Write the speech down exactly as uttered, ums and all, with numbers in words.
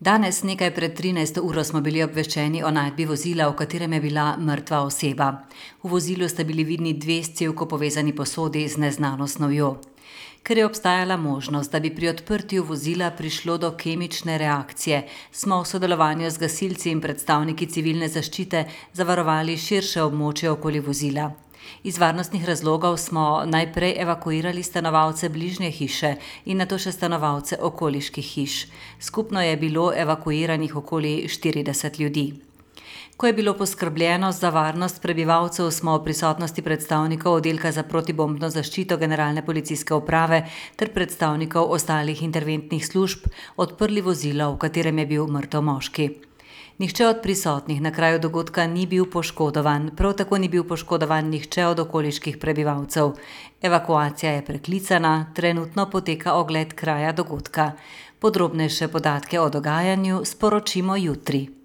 Danes nekaj pred trinajsto uro smo bili obveščeni o najdbi vozila, v katerem je bila mrtva oseba. V vozilu sta bili vidni dve s cevko povezani posodi z neznano snovjo. Ker je obstajala možnost, da bi pri odprtju vozila prišlo do kemične reakcije, smo v sodelovanju z gasilci in predstavniki civilne zaščite zavarovali širše območje okoli vozila. Iz varnostnih razlogov smo najprej evakuirali stanovalce bližnje hiše in nato še stanovalce okoliških hiš. Skupno je bilo evakuiranih okoli štirideset ljudi. Ko je bilo poskrbljeno za varnost prebivalcev, smo v prisotnosti predstavnikov oddelka za protibombno zaščito Generalne policijske uprave ter predstavnikov ostalih interventnih služb odprli vozilo, v katerem je bil mrtev moški. Nihče od prisotnih na kraju dogodka ni bil poškodovan, prav tako ni bil poškodovan nihče od okoliških prebivalcev. Evakuacija je preklicana, trenutno poteka ogled kraja dogodka. Podrobnejše podatke o dogajanju sporočimo jutri.